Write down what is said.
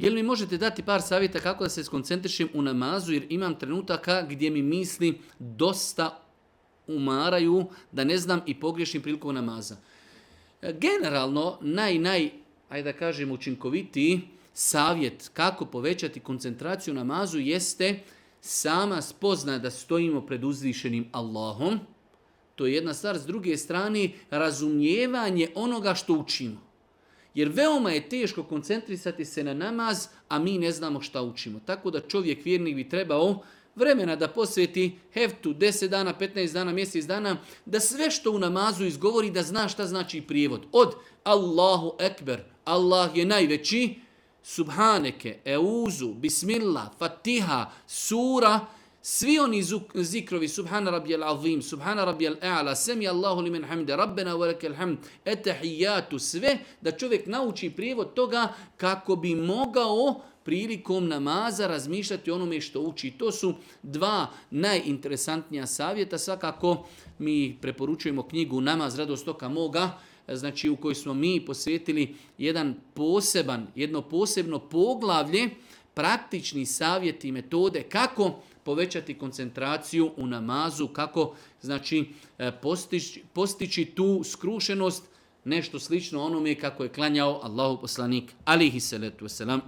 Jel mi možete dati par savjeta kako da se skoncentrišem u namazu jer imam trenutaka gdje mi misli dosta umaraju da ne znam i pogriješim prilikom namaza. Generalno, ajde da kažem, učinkovitiji savjet kako povećati koncentraciju u namazu jeste sama spoznaja da stojimo pred uzvišenim Allahom. To je jedna stvar. S druge strane, razumijevanje onoga što učimo. Jer veoma je teško koncentrisati se na namaz, a mi ne znamo šta učimo. Tako da čovjek vjernik bi trebao vremena da posveti heftu 10 dana, 15 dana, mjesec dana, da sve što u namazu izgovori da zna šta znači prijevod. Od Allahu Ekber, Allah je najveći, Subhaneke, Euzu, Bismillah, Fatiha, Sura, svi oni zikrovi, Subhana Rabbijal Azim, Subhana Rabbijal A'la, Semi Allahu limen hamde, Rabbena velekel hamd, Etahijatu, sve da čovjek nauči prijevod toga kako bi mogao prilikom namaza razmišljati o onome što uči. To su dva najinteresantnija savjeta. Svakako mi preporučujemo knjigu Namaz radost oka moga, znači u kojoj smo mi posvetili jedno posebno poglavlje, praktični savjeti i metode kako povećati koncentraciju u namazu, kako znači postići tu skrušenost, nešto slično onome kako je klanjao Allahu poslanik alejhi salatu vesselam.